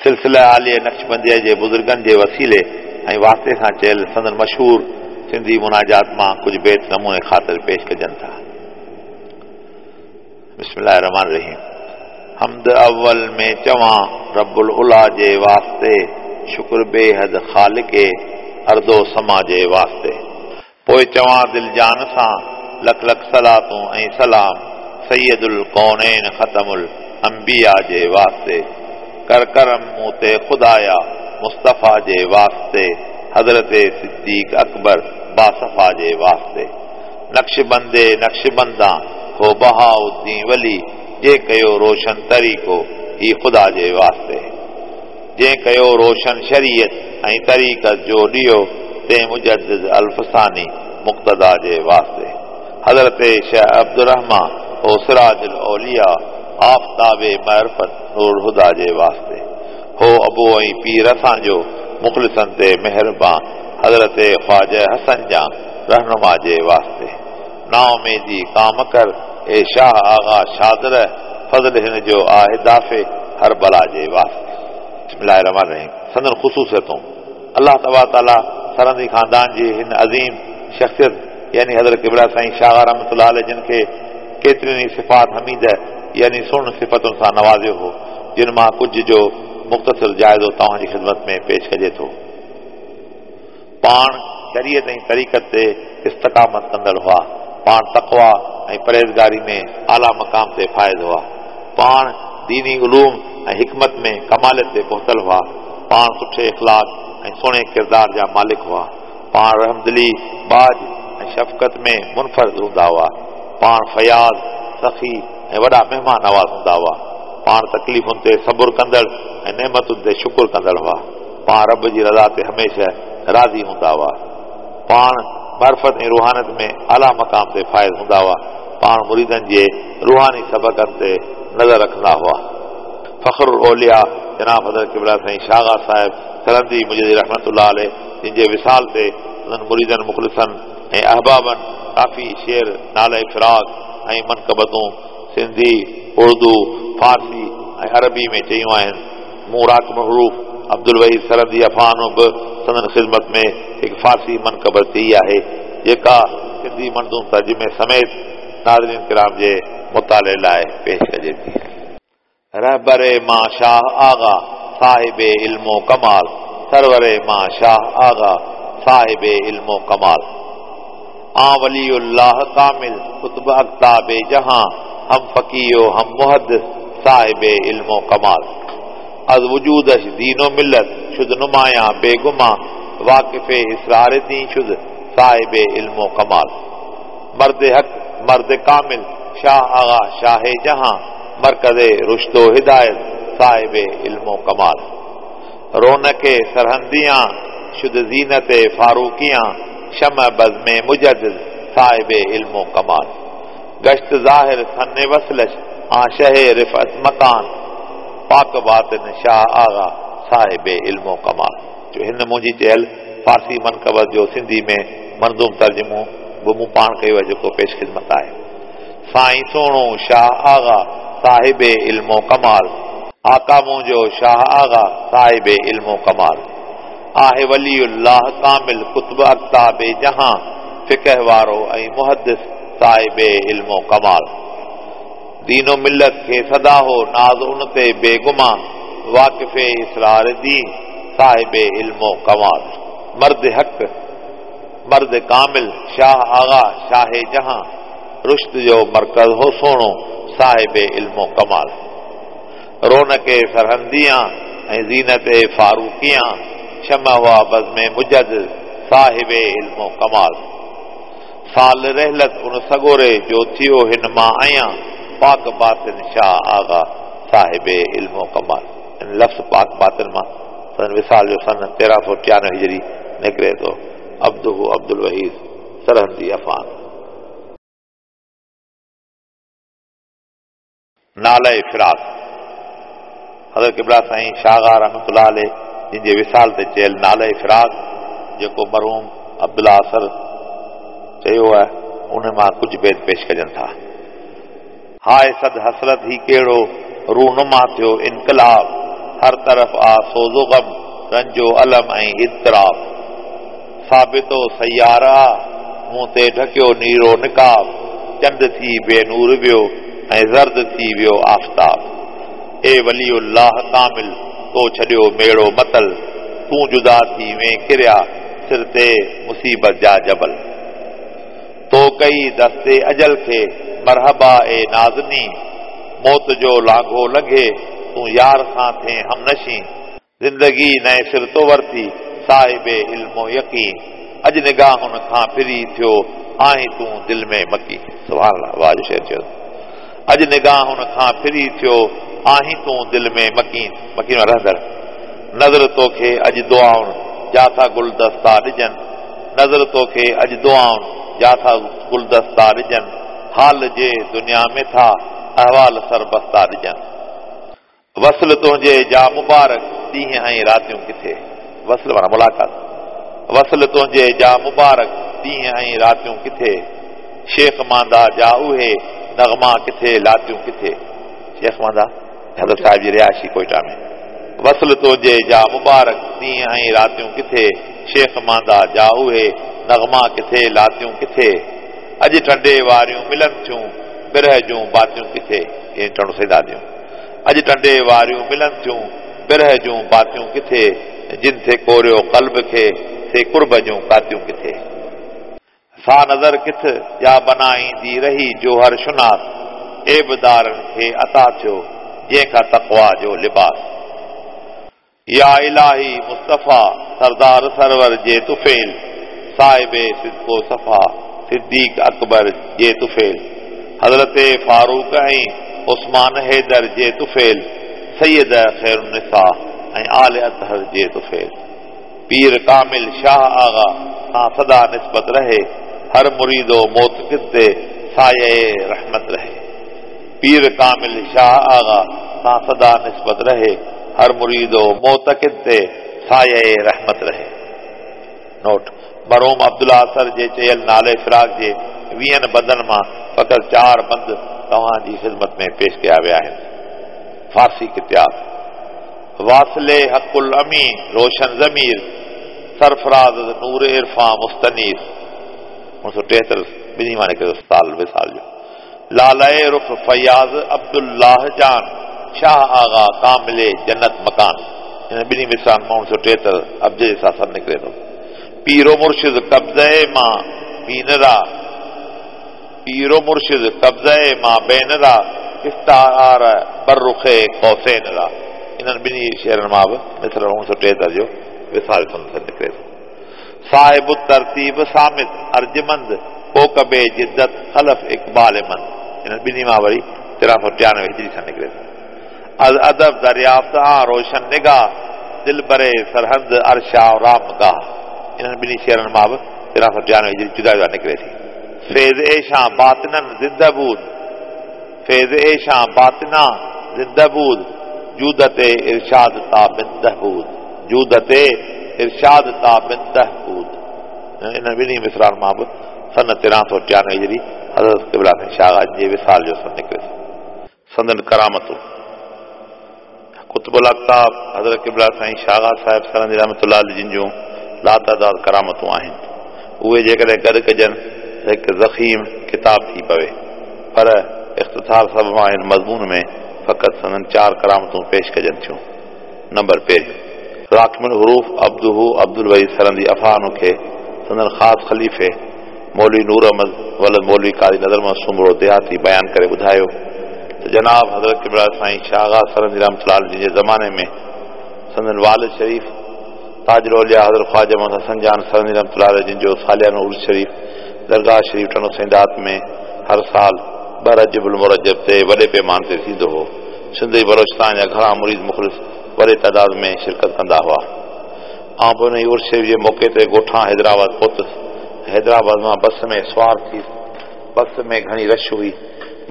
سلسله عاليه نقشبنديه جي بزرگن جي وسيلي ۽ واسطي سان چيل سندن مشهور سنڌي مناجات مان ڪجهه بيت نموني خاطر پيش ڪجن ٿا. بسم الله الرحمٰن الرحيم حمد اول ۾ چوان رب العليٰ جي واسطي شڪر بي حد خالق ارض و سما جي واسطي پوء چوان دل جان سان لک لک صلاتون ۽ سلام سيد الڪونين ختم الانبياء جي واسطي ڪر ڪرم مون تي خدايا مصطفيٰ جي واسطي حضرت صديق اڪبر باصفا جي واسطي نقشبندي نقشبندان هو بهاء الدين ولي جنهن ڪيو روشن طريقو هي خدا جي واسطي جنهن ڪيو روشن شريعت ۽ طريقت جو ڏيئو تنهن مجدد الف ثاني مقتدا جي واسطي حضرت شيخ عبدالرحمان هو سراج الاولياء آفتاب معرفت نور الهديٰ جي واسطي هو ابو ۽ پير اسان جو مخلصن تي مهربان حضرت خواجه حسن جان رهنما جي واسطي نااميدي ڪام ڪر اي شاهه آغا شاد ره فضل هن جو آهي دافع هر بلا جي واسطي. بسم الله الرحمٰن الرحيم سندن خصوصيتون، الله تبارڪ وتعاليٰ سرهندي خاندان جي هن عظيم شخصيت يعني حضرت قبله سائين شاهه رحمة الله عليه جن کي ڪيترين ئي صفات حميده يعني سهڻن صفتن سان نوازيو هو جن مان ڪجهه جو مختصر جائزو توهان جي خدمت ۾ پيش ڪجي ٿو. پاڻ شريعت ۽ طريقت تي استقامت ڪندڙ هئا. پاڻ تقويٰ ۽ پرهيزگاري ۾ اعليٰ مقام تي فائز هئا. پاڻ ديني علوم ۽ حڪمت ۾ ڪماليت تي پهتل هئا. پاڻ سٺي اخلاق ۽ سهڻي ڪردار جا مالڪ هئا. پاڻ رحمدلي، ٻاجهه ۽ شفقت ۾ منفرد هوندا هئا. پاڻ فياض، سخي ۽ وڏا مهمان نواز هوندا هئا. پاڻ تڪليفن تي صبر ڪندڙ ۽ نعمتن تي شڪر ڪندڙ هئا. پاڻ رب جي رضا تي هميشه راضي هوندا هئا. پاڻ معرفت ۽ روحانيت ۾ اعليٰ مقام تي فائز هوندا هئا. پاڻ مريدن جي روحاني سبقن تي نظر رکندا هئا. فخر الاولياء جناب حضرت قبله سائين شاغا صاحب سرهندي مجددي رحمة الله عليه جن جي وصال تي سندن مريدن مخلصن ۽ احبابن ڪافي شعر ناله فراق ۽ منقبتون سنڌي، اردو، فارسي ۽ عربي ۾ چيون آهن. مون راقم الحروف عبدالوحيد سرهندي افعانو به سندن خدمت ۾ هڪ فارسي منقبت چئي آهي، جيڪا سنڌي منظوم ترجمي سميت ناظرين ڪرام جي مطالعي لاء پيش ڪجي ٿي. رهبر مان شاهه آغا، صاحب علم و ڪمال، سرور مان شاهه آغا، صاحب علم و ڪمال. آن ولي الله ڪامل، قطب اقطاب جهان، هم فقيه و هم محدث، صاحب علم و ڪمال. از وجودش دين و ملت، شد نمايان بي گمان، واقف اسرار دين شد، صاحب علم و ڪمال. مرد حق، مرد ڪامل، شاهه آغا شاهه جهان، مرڪز رشد و هدايت، صاحب علم و ڪمال. رونق سرهنديان، شد زينت فاروقيان، شمع بزم مجدد، صاحب علم و ڪمال. گشت ظاهر سن وصلش، آن شه رفعت مڪان، پاڪ باطن شاهه آغا، صاحب علم و ڪمال. جو هن منهنجي چيل فارسي منقبت جو سنڌي ۾ منظوم ترجمو به مون پاڻ ڪيو آهي جيڪو پيش خدمت آهي. سائين سهڻو شاهه آغا، صاحب علم و ڪمال. آقا منهنجو شاهه آغا، صاحب علم و ڪمال. آهي ولي الله ڪامل، قطب اقطاب جهان، فقه وارو ۽ محدث، صاحب علم و ڪمال. دين و ملت کي سدا هو ناز ان تي بي گمان، واقف اسرار دين، صاحب علم و ڪمال. مرد حق، مرد ڪامل، شاهه آغا، شاهه جهان، رشد جو مرڪز هو سهڻو، صاحب علم و ڪمال. رونق سرهنديان ۽ زينت فاروقيان، شمع هئا بزم مجدد، صاحب علم و ڪمال. سال رحلت ان سڳوري جو ٿيو هن مان عيان، پاڪ باطن شاهه آغا، صاحب علم و ڪمال. ان لفظ پاڪ باطن مان سندن وصال جو سن 1393 هجري نڪري ٿو. عبده عبدالوحيد سرهندي افعان. ناله فراق، حضرت قبله سائين شاهه آغا رحمة الله عليه جن جي وصال تي چيل ناله فراق جيڪو مرحوم عبدالله اثر چيو آهي ان مان ڪجهه بيت پيش ڪجن ٿا. هاء صد حسرت هي ڪهڙو رونما ٿيو انقلاب. هر طرف آ سوز و غم، رنج و الم ۽ اضطراب. ثابت و سيار آ، منهن تي ڍڪيو نيرو نقاب، چنڊ ٿي بي نور ويو ۽ زرد ٿي ويو آفتاب. اي ولي الله ڪامل، تو ڇڏيو ميڙو متل، تون جدا ٿي وين ڪريا، سر تي مصيبت جا جبل. تو ڪئي دست اجل کي، مرحبا اي نازنين، موت جو لانگهو لنگهي، تون يار سان ٿين همنشين. زندگي نئين سر تو ورتي، صاحب علم و يقين، اڄ نگاهن کان ڦري ٿيو آهين تون دل ۾ مڪين. سبحان الله واهه جو شعر چيو اٿس. اڄ نگاهن کان ڦري ٿيو آهين تون دل ۾ مڪين، مڪين معنيٰ رهندڙ. نذر توکي اڄ دعائن جا ٿا گلدستا ڏجن، نذر توکي اڄ دعائن جا ٿا گلدستا ڏجن، حال جي دنيا ۾ ٿا احوال سربستا ڏجن. وصل تنهنجي جا مبارڪ ڏينهن ۽ راتيون ڪٿي. وصل معنيٰ ملاقات. وصل تنهنجي جا مبارڪ ڏينهن ۽ راتيون ڪٿي. شيخ ماندا جا اهي نغما ڪٿي لاتيون ڪٿي. شيخ ماندا حضرت صاحب جي رهائشي ڪوئيٽا ۾. وصل تنهنجي جا مبارڪ ڏينهن ۽ راتيون ڪٿي. شيخ ماندا جا اهي نغما ڪٿي لاتيون ڪٿي. اڄ ٽنڊي واريون ملن ٿيون برهه جون باتيون ڪٿي. يعني ٽنڊو سيداديون. اڄ ٽنڊي واريون ملن ٿيون، برهه جون باتيون ڪٿي، جن ٿي ڪوريو قلب کي، سي قرب جون ڪاتيون ڪٿي. سا نظر ڪٿ، جا بنائيندي رهي جوهر شناس، عيب دارن کي عطا ٿيو، جنهن کان تقويٰ جو لباس. يا الاهي مصطفيٰ سردار سرور جي طفيل، صاحب صدق و صفا صديق اڪبر جي طفيل، حضرت فاروق ۽ عثمان حيدر جي طفيل، سيده خيرالنساء ۽ آل اطهر جي طفيل. پير ڪامل شاهه آغا سان سدا نسبت رهي، هر مريد و معتقد تي سايه رحمت رهي. پير ڪامل شاهه آغا سان سدا نسبت رهي، هر مريد و معتقد تي سايه رحمت رهي. نوٽ، مرحوم عبدالله اثر جي چيل نالي فراق جي ويهن بندن مان فقط چار بند توهان جي خدمت ۾ پيش ڪيا ويا آهن. فارسي قطعات، واصل حق الامين روشن ضمير، سرفراز از نور عرفان مستنير. اڻ سؤ ٽيهتر ٻنهي مان نڪري ٿو سال وصال جو. لالئ رخ فياض عبدالله جان، شاهه آغا ڪامل جنت مڪان. انهن ٻنهي مصرعن مان اڻ سؤ ٽيهتر ابجد جي سان سن نڪري ٿو. پير و مرشد قبضه ما بين را، پير و مرشد قبضه ما بين را، استعار بر رخ قوسين را. انهن ٻنهي شعرن مان به مصرع اڻ سؤ ٽيهتر جو وصال سن سن نڪري ٿو. صاحب الترتيب صامت ارجمند ڪوڪب جدت خلف اقبال مند انهن ٻنهي مان وري 1393 هجري سن نڪري ٿو. از ادب دريافت آن روشن نگاه دلبر سرهند عرش آرامگاه انهن ٻنهي شعرن مان به 1393 هجري جدا جدا نڪري ٿي. فيض ايشان باطناً زنده بود فيض ايشان باطنا زنده بود جودت ارشاد تابنده بود جودت ارشاد تابنده بود انهن ٻنهي مصرعن مان به سن 1393 هجري حضرت قبله سائين شاهه غازي جي وصال جو سن نڪري ٿو. سندن ڪرامتون، قطب الاقطاب حضرت قبله سائين شاهه غازي صاحب سرهندي رحمة الله عليه جن جون لاتعداد ڪرامتون آهن. اهي جيڪڏهن گڏ ڪجن ته هڪ ضخيم ڪتاب ٿي پوي، پر اختصار سببان هن مضمون ۾ فقط سندن چار ڪرامتون پيش ڪجن ٿيون. نمبر پهريون. راقم الحروف عبده عبدالوحيد سرهندي عفانه کي سندن خاص خليفي مولوي نور احمد ولد مولوي قاضي نظر محمد سومرو ديهاتي بيان ڪري ٻڌايو ته جناب حضرت قبله سائين شاهه غاز سرهندي رحمة الله عليه جن جي زماني ۾ سندن والد شريف تاج الاولياء حضرت خواجه محمد حسن جان سرهندي رحمة الله عليه جن جو ساليانو عرس شريف درگاهه شريف ٽنڊو سيدات ۾ هر سال ٻه رجب المرجب تي وڏي پيماني تي ٿيندو هو. سنڌ ۽ بلوچستان جا گهڻا مريد مخلص وڏي تعداد ۾ شرڪت ڪندا هئا. آئون به انهي عرس شريف جي موقعي تي ڳوٺان حيدرآباد پهتس ۽ حيدرآباد مان بس ۾ سوار ٿيس. بس ۾ گهڻي رش هئي.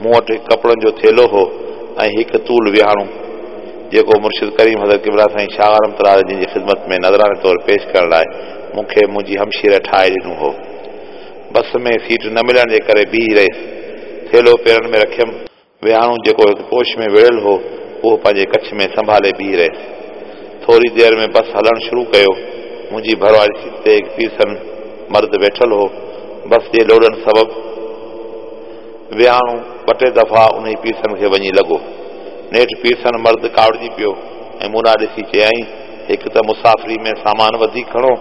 مون وٽ هڪ ڪپڙن جو ٿيلهو هو ۽ هڪ طول ويهاڻو، جيڪو مرشد ڪريم حضرت قبله سائين شاهه رحمة الله عليه جن جي خدمت ۾ نذراني طور پيش ڪرڻ لاء مون کي منهنجي همشيره ٺاهي ڏنو هو. بس ۾ سيٽ نه ملڻ جي ڪري بيهي رهيس. ٿيلهو پيرن ۾ رکيم. ويهاڻو جيڪو هڪ پوش ۾ ويڙهيل هو، اهو پنهنجي ڪڇ ۾ سنڀالي بيهي رهيس. ٿوري دير ۾ بس هلڻ شروع ڪيو. منهنجي ڀر واري سيٽ تي هڪ پيرسن مرد ويٺل هو. بس جي لوڏن سبب ويهاڻو ٻه ٽي دفعا انهي پيرسن کي وڃي لڳو. نيٺ پيرسن مرد ڪاوڙجي پيو ۽ مون ڏانهن ڏسي چيائين، هڪ ته مسافري ۾ سامان وڌيڪ کڻو،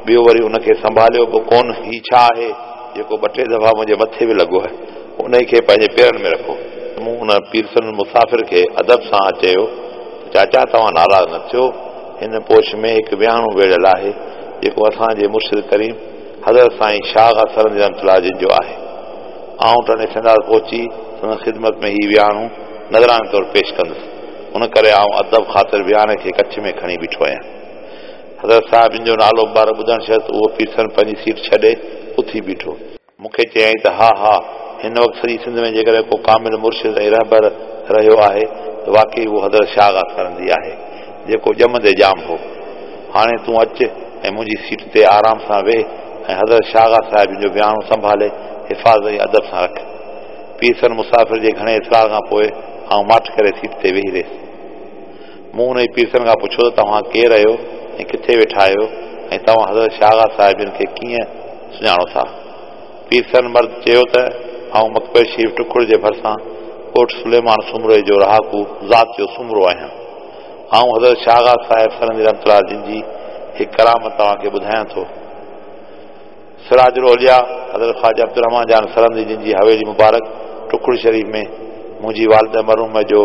ٻيو وري ان کي سنڀاليو به ڪونه. هي ڇا آهي جيڪو ٻه ٽي دفعا منهنجي مٿي به لڳو آهي. انهي کي پنهنجي پيرن ۾ رکو. مون ان پيرسن مسافر کي ادب سان چيو ته چاچا توهان ناراض نه ٿيو، هن پوش ۾ هڪ ويهاڻو ويڙهيل آهي، جيڪو اسان جي مرشد ڪريم حضرت سائين شاهه آغا سرهندي رحمة الله جن جو آهي. آئون ٽنڊي سينڌار پهچي سندن خدمت ۾ هي ويهاڻو نذراني طور پيش ڪندس. ان ڪري آئون ادب خاطر ويهاڻي کي ڪڇ ۾ کڻي بيٺو آهيان. حضرت صاحب جن جو نالو مبارڪ ٻڌڻ شرط اهو پيرسن پنهنجي سيٽ ڇڏي اٿي بيٺو. مون کي چيائين ته ها ها، هن وقت سڄي سنڌ ۾ جيڪڏهن ڪو ڪامل مرشد ۽ رهبر رهيو آهي ته واقعي اهو حضرت شاهه آغا سرهندي آهي، جيڪو ڄمندي ڄام هو. هاڻي تون اچ ۽ منهنجي سيٽ تي آرام سان ويهه ۽ حضرت شاهه آغا صاحب جن جو ويهاڻو سنڀالي حفاظت ۽ ادب سان رک. پيرسن مسافر جي گهڻي اصرار کان پوء آئون ماٺ ڪري سيٽ تي ويهي رهيس. مون انهي پيرسن کان پڇيو ته توهان ڪير آهيو ۽ ڪٿي ويٺا آهيو ۽ توهان حضرت شاهه آغا صاحب جن کي ڪيئن سڃاڻو ٿا؟ پيرسن مرد چيو ته آئون مقبري شريف ٽکڙ جي ڀرسان ڳوٺ سليمان سومري جو رهاڪو ذات جو سومرو آهيان. آئون حضرت شاهه آغا صاحب سرهندي رحمة الله جن جي هڪ ڪرامت توهان کي ٻڌايان ٿو. سراج الاولياء حضرت خواجه عبدالرحمان جان سرهندي جن جي حويلي مبارڪ ٽکڙ شريف ۾ منهنجي والده مرحومه جو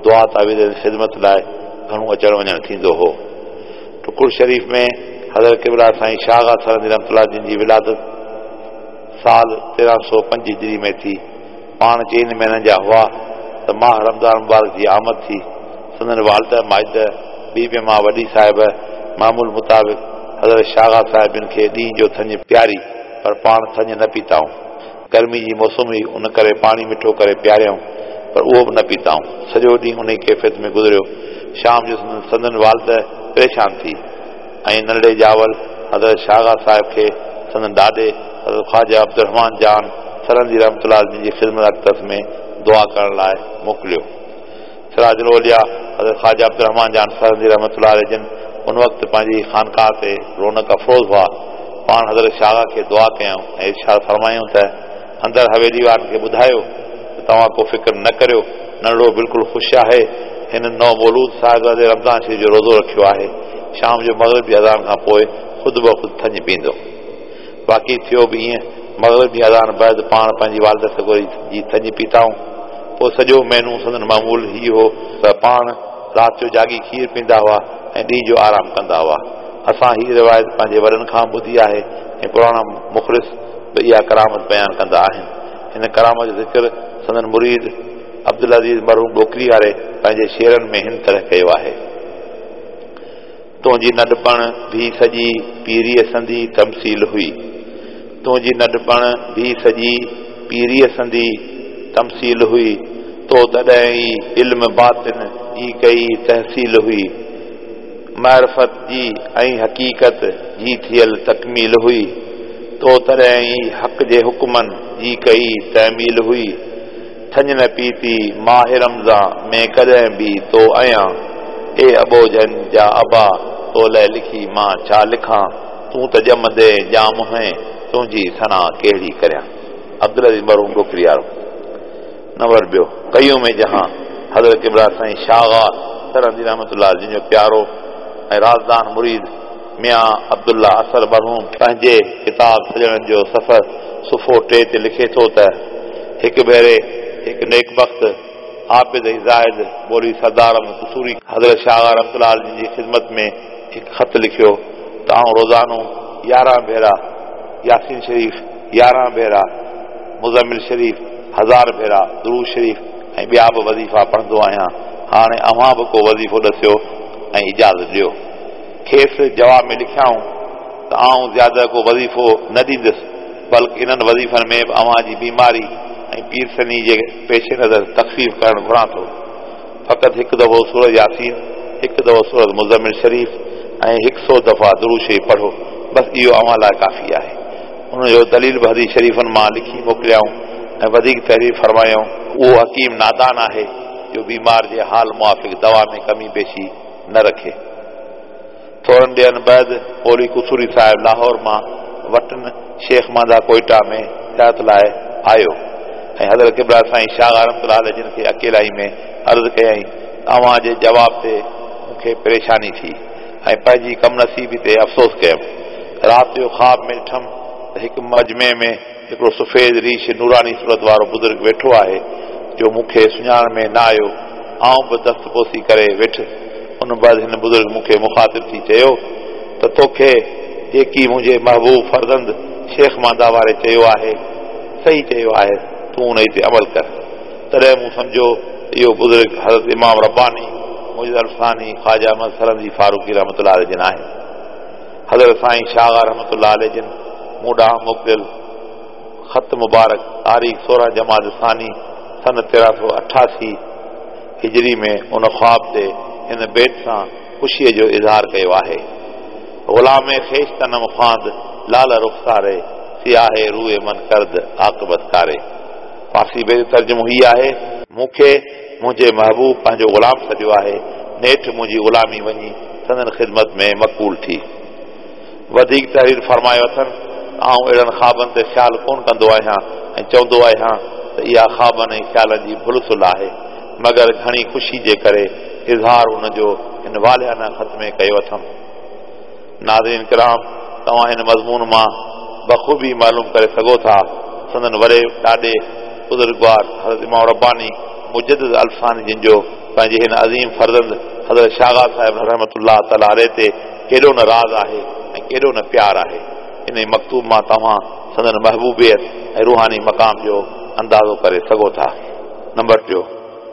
دعا تعويذ ۽ خدمت لاء گهڻو اچڻ وڃڻ ٿيندو هو. ٽکڙ شريف ۾ حضرت قبله سائين شاهه آغا سرهندي رحمة الله جن جي ولادت سال 1305 هجري ۾ ٿي. پاڻ چئن مهينن جا هئا ته ماهه رمضان مبارڪ جي آمد ٿي. سندن والده ماجده بي بي مان وڏي صاحبه معمول مطابق حضرت شاهه آغا صاحب جن کي ڏينهن جو ٿڃ پياري پر پاڻ ٿڃ نه پيتائون. گرمي جي موسم هئي ان ڪري پاڻي مٺو ڪري پياريائون پر اهو به نه پيتائون. سڄو ڏينهن انهي ڪيفيت ۾ گذريو. شام جو سندن والده پريشان ٿي ۽ ننڍڙي ڄاول حضرت شاهه آغا صاحب کي سندن ڏاڏي حضرت خواجه عبدالرحمان جان سرهندي رحمة الله جن جي خدمت اقدس ۾ دعا ڪرڻ لاء موڪليو. سراج الاولياء حضرت خواجه عبدالرحمان جان سرهندي رحمة الله عليه جن ان وقت پنهنجي خانقاهه تي رونق افروز هئا. پاڻ حضرت شاهه آغا کي دعا ڪيائون ۽ ارشاد فرمايائون ته اندر حويلي وارن کي ٻڌايو ته توهان ڪو فڪر نه ڪريو، ننڍڙو بلڪل خوش آهي، هن نو مولود صاحبزادي رمضان شريف جو روزو رکيو آهي، شام جو مغرب جي اذان کان پوء خود بخود ٿڃ پيئندو. واقعي ٿيو به ائين، مغرب جي اذان بعد پاڻ پنهنجي والده سڳوري جي ٿڃ پيتائون. پوء سڄو مهينو سندن معمول هي هو ته پاڻ رات جو جاڳي کير پيئندا هئا ۽ ڏينهن جو آرام ڪندا هئا. اسان هيء روايت پنهنجي وڏن کان ٻڌي آهي ۽ پراڻا مخلص به اها ڪرامت بيان ڪندا آهن. هن ڪرامت جو ذڪر سندن مريد عبدالعزيز مرحوم ڏوڪري واري پنهنجي شعرن ۾ هن طرح ڪيو آهي. تنهنجي ننڍپڻ ڀي سڄي پيريء سندي تمثيل هئي. تنهنجي ننڍپڻ ڀي سڄي پيريء سندي تمثيل هئي. تو تڏهن ئي علم باطن جي ڪئي تحصيل هئي. معرفت جي ۽ حقيقت جي ٿيل تڪميل هئي. تو تڏهن ئي حق جي حڪمن جي ڪئي تعميل هئي. ٿڃ نه پيتي ماهه رمضان ۾ ڪڏهن به تو عيان. اي اٻوجهن جا ابا تو لئه لکي مان ڇا لکان، تون ته ڄمندين ڄام هئين، تنهنجي ثنا ڪهڙي ڪريان. عبدالعزيز مرحوم ڏوڪري وارو. نمبر ٻيو، قيوم جهان حضرت قبله سائين شاهه آغا سرهندي رحمة الله جن جو پيارو ۽ رازدان مريد ميان عبدالله اثر مرحوم پنهنجي ڪتاب سڄڻن جو سفر صفحو 3 تي لکي ٿو ته، هڪ ڀيري هڪ نيڪ بخت، عابد ۽ زاهد مولوي سردار احمد قصوري حضرت شاهه آغا رحمة الله عليه جن جي خدمت ۾ هڪ خط لکيو ته آئون روزانو 11 ڀيرا ياسين شريف، 11 ڀيرا مزمل شريف، 1000 ڀيرا درود شريف ۽ ٻيا به وظيفا پڙهندو آهيان، هاڻي اوهان به ڪو وظيفو ڏسيو ۽ اجازت ڏيو. کيس جواب ۾ لکيائون ته آئون زياده ڪو وظيفو نه ڏيندس، بلڪ انهن وظيفن ۾ به اوهان جي بيماري ۽ پيرسني جي پيش نظر تخفيف ڪرڻ گهران ٿو. فقط هڪ دفعو سورة ياسين، هڪ دفعو سورة مزمل شريف ۽ هڪ سو دفعا درود شريف پڙهو، بس اهو اوهان لاء ڪافي آهي. ان جو دليل به حديث شريفن مان لکي موڪليائون ۽ وڌيڪ تحرير فرمايائون. اهو حڪيم نادان آهي جو بيمار جي حال موافق دوا ۾ ڪمي بيشي نه رکي. ٿورن ڏينهن بعد مولوي قصوري صاحب لاهور مان وٽن شيخ مانده ڪوئيٽا ۾ زيارت لاء آيو ۽ حضرت قبله سائين شاهه آغا رحمة الله عليه جن کي اڪيلائي ۾ عرض ڪيائين ته اوهان جي جواب تي مون کي پريشاني ٿي ۽ پنهنجي ڪم نصيبي تي افسوس ڪيم. رات جو خواب ۾ ڏٺم ته هڪ مجمعي ۾ هڪڙو سفيد ريش نوراني صورت وارو بزرگ ويٺو آهي، جو مون کي سڃاڻڻ ۾ نه آيو. آئون به دست بوسي ڪري ويٺس. ان بعد هن بزرگ مون کي مخاطب ٿي چيو ته توکي جيڪي منهنجي محبوب فرزند شيخ مانده واري چيو آهي، صحيح چيو آهي، تون انهي تي عمل ڪر. تڏهن مون سمجهيو ته اهو بزرگ حضرت امام رباني مجدد الف ثاني خواجه احمد سرهندي فاروقي رحمة الله عليه جن آهن. حضرت سائين شاهه آغا رحمة الله عليه جن مون ڏانهن موڪليل خط مبارڪ تاريخ 16 جمادي الثاني سن 1388 هجري ۾ ان خواب تي هن بيت سان خوشيء جو اظهار ڪيو آهي. غلام خويشتنم خواند لاله رخساري سياه روي من ڪرد عاقبت ڪاري. فارسي بيت جو ترجمو هي آهي. مون کي منهنجي محبوب پنهنجو غلام سڏيو آهي، نيٺ منهنجي غلامي وڃي سندن خدمت ۾ مقبول ٿي. وڌيڪ تحرير فرمايو اٿن ته آئون اهڙن خوابن تي خيال ڪونه ڪندو آهيان ۽ چوندو آهيان ته اها خوابن ۽ خيالن جي ڀل سل آهي، مگر گهڻي خوشي جي ڪري اظهار ان جو هن والهانه خط ۾ ڪيو اٿم. ناظرين ڪرام! توهان هن مضمون مان بخوبي معلوم ڪري سگهو ٿا، سندن وڏي ڏاڏي بزرگوار حضرت امام رباني مجدد الف ثاني جن جو پنهنجي هن عظيم فرزند حضرت شاهه آغا صاحب رحمة الله تعالٰي عليه تي ڪيڏو نه راز آهي ۽ ڪيڏو نه پيار آهي. انهي مڪتوب مان توهان سندن محبوبيت ۽ روحاني مقام جو اندازو ڪري سگهو ٿا. نمبر ٽيو،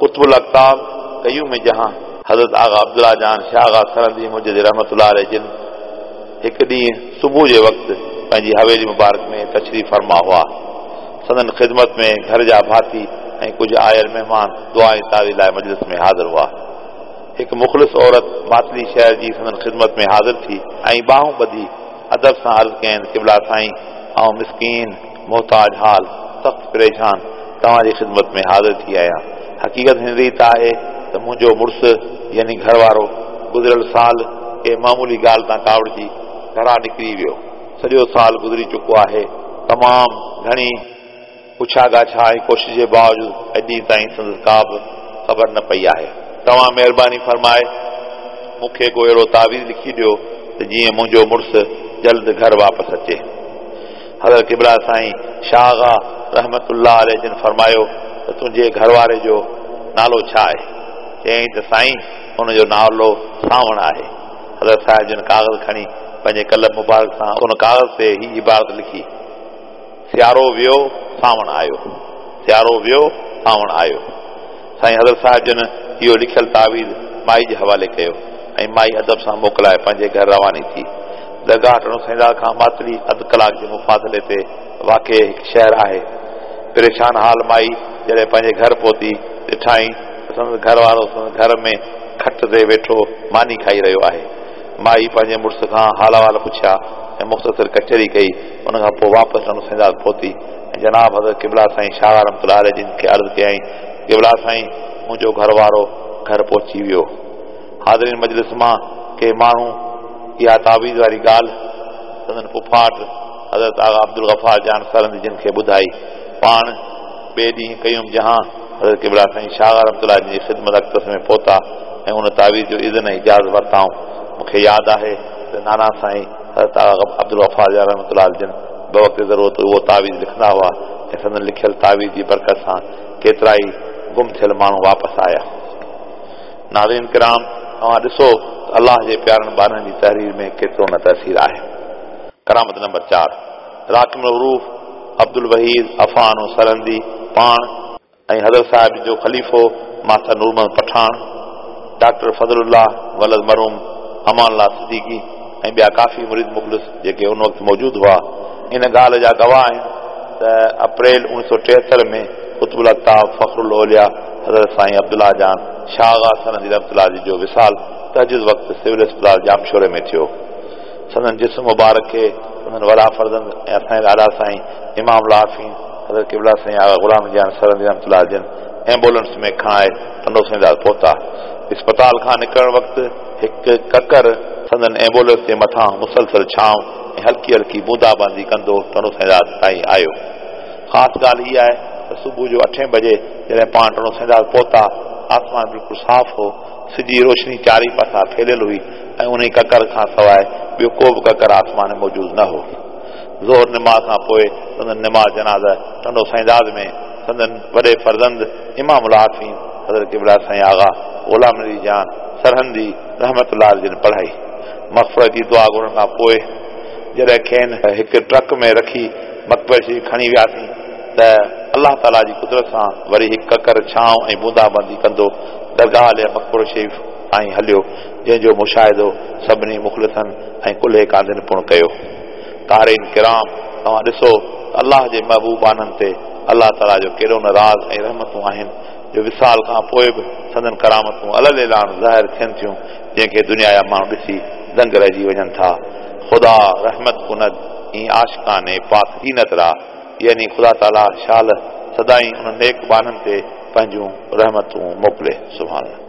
قطب الاقطاب قيوم جهان حضرت آغا عبدالله جان شاهه آغا سرهندي مجدد رحمة الله عليه جن هڪ ڏينهن صبح جي وقت پنهنجي حويلي مبارڪ ۾ تشريف فرما هئا. سندن خدمت ۾ گهر جا ڀاتي ۽ ڪجهه آيل مهمان دعا ۽ تعويذ لاء مجلس ۾ حاضر هئا. هڪ مخلص عورت ماتلي شهر جي سندن خدمت ۾ حاضر ٿي ۽ ٻانهون ٻڌي ادب سان عرض ڪيائين قبلا سائين آئون مسڪين محتاج حال سخت پريشان توهان جي خدمت ۾ حاضر ٿي آهيان. حقيقت هن ريت آهي ته منهنجو مڙس يعني گهر وارو گذريل سال ڪنهن معمولي ڳالهه تان ڪاوڙجي گهران نڪري ويو. سڄو سال گذري چڪو آهي. تمام گهڻي پڇا ڳاڇا ۽ ڪوشش جي باوجود اڄ ڏينهن تائين سندس ڪا به خبر نه پئي آهي. توهان مهرباني فرمائي مون کي ڪو اهڙو تعويذ لکي ڏيو ته جيئن منهنجو مڙس جلد گهر واپس اچي. حضرت قبله سائين شاهه آغا رحمة الله عليه جن فرمايو ته تنهنجي گهر واري جو نالو ڇا آهي؟ چيائين ته سائين ان جو نالو سانوڻ آهي. حضرت صاحب جن ڪاغذ کڻي پنهنجي قلم مبارڪ سان ان ڪاغذ تي هي عبارت لکي، سيارو ويو سانوڻ آيو، سيارو ويو سانوڻ آيو. سائين حضرت صاحب جن اهو لکيل تعويذ مائي جي حوالي ڪيو ۽ مائي ادب سان موڪلائي پنهنجي گهر رواني ٿي. درگاهه ٽنڊو سائينداد کان ماتلي اڌ ڪلاڪ جي مفاصلي تي واقع هڪ شهر آهي. پريشان حال مائي جڏهن پنهنجي گهر پهتي، ڏٺائين ته سندس گهر وارو سندس گهر ۾ کٽ تي ويٺو ماني کائي رهيو آهي. مائي پنهنجي مڙس کان حال احوال پڇيا ۽ مختصر ڪچهري ڪئي. ان کان پوء واپس ٽنڊو سائينداد پهتي ۽ جناب حضرت قبله سائين شاهه رحمة الله عليه جن کي عرض ڪيائين ته قبله سائين منهنجو گهر وارو گهر پهچي ويو. حاضرين مجلس مان ڪي ماڻهو اها تعويذ واري ڳالهه سندن پڦاٽ حضرت آغا عبدالغفار جان سرهندي جن کي ٻڌائي. پاڻ ٻئي ڏينهن قيوم جهان حضرت قبله سائين شاهه رحمة الله جن جي خدمت اقدس ۾ پهتا ۽ ان تعويذ جو اذن ۽ اجازت ورتائون. مون کي ياد آهي ته نانا سائين حضرت آغا عبدالغفار جان رحمة الله جن بوقت ضرورت اهو تعويذ لکندا هئا ۽ سندن لکيل تعويذ جي برڪت سان ڪيترائي گم ٿيل ماڻهو واپس آيا. ناظرين ڪرام! اوهان ڏسو ته الله جي پيارن ٻانهن جي تحرير ۾ ڪيترو نه تاثير آهي. ڪرامت نمبر چار، راقم الحروف عبدالوحيد عفانو سرهندي پاڻ ۽ حضرت صاحب جو خليفو ماستر نور محمد پٺاڻ، ڊاڪٽر فضل الله ولد مرحوم امان الله صديقي ۽ ٻيا ڪافي مريد مخلص جيڪي ان وقت موجود هئا، ان ڳالهه جا گواهه آهن ته اپريل 1973 ۾ قطب الاقطاب فخر الاولياء حضرت سائين عبدالله جان شاهه آغا سرهندي رحمة الله عليه جو وصال تهجد وقت سول اسپتال ڄامشوري ۾ ٿيو. سندن جسم مبارڪ کي سندن وڏا فرزند ۽ اسان جا ڏاڏا سائين امام العارفين حضرت قبله سائين آغا غلام جان سرهندي رحمة الله عليه جن ايمبولنس ۾ کڻائي ٽنڊو سائينداد پهتا. اسپتال کان نڪرڻ وقت هڪ ڪڪر. سندن ايمبولينس جي مٿان مسلسل ڇانو ۽ هلڪي هلڪي بوندا باندي ڪندو ٽنڊو سائينداد تائين آيو. خاص ڳالهه هيء آهي ته صبح جو اٺين بجي جڏهن پاڻ ٽنڊو سائينداد پهتا، آسمان بلڪل صاف هو، سج جي روشني چارئي پاسا ڦهليل هئي ۽ انهي ڪڪر کان سواء ٻيو ڪو به ڪڪر آسمان ۾ موجود نه هو. ظهر نماز کان پوء سندن نماز جنازه ٽنڊو سائينداد ۾ سندن وڏي فرزند امام العارفين حضرت قبله سائين آغا غلام علي جان سرهندي رحمة الله عليه جن پڙهائي. مغفرت جي دعا گهرڻ کان پوء جڏهن کين هڪ ٽرڪ ۾ رکي مقبري شريف کڻي وياسين ته الله تعاليٰ جي قدرت سان وري هڪ ڪڪر ڇانو ۽ بوندا باندي ڪندو درگاهه عاليه مقبرو شريف تائين هليو جنهن جو مشاهدو سڀني مخلصن ۽ ڪلهي ڪانڌين پڻ ڪيو. قارئين ڪرام! توهان ڏسو ته الله جي محبوب ٻانهن تي الله تعاليٰ جو ڪيڏو نه راز ۽ رحمتون آهن جو وصال کان پوء به سندن ڪرامتون علي الاعلان ظاهر ٿين ٿيون جنهن کي دنيا جا ماڻهو ڏسي دنگ رهجي وڃن ٿا. خدا رحمت کند اين عاشقان پاڪ دينت را يعني خدا تعاليٰ شال سدائين انهن نيڪ ٻانهن تي پنهنجون رحمتون موڪلي. سبحان الله.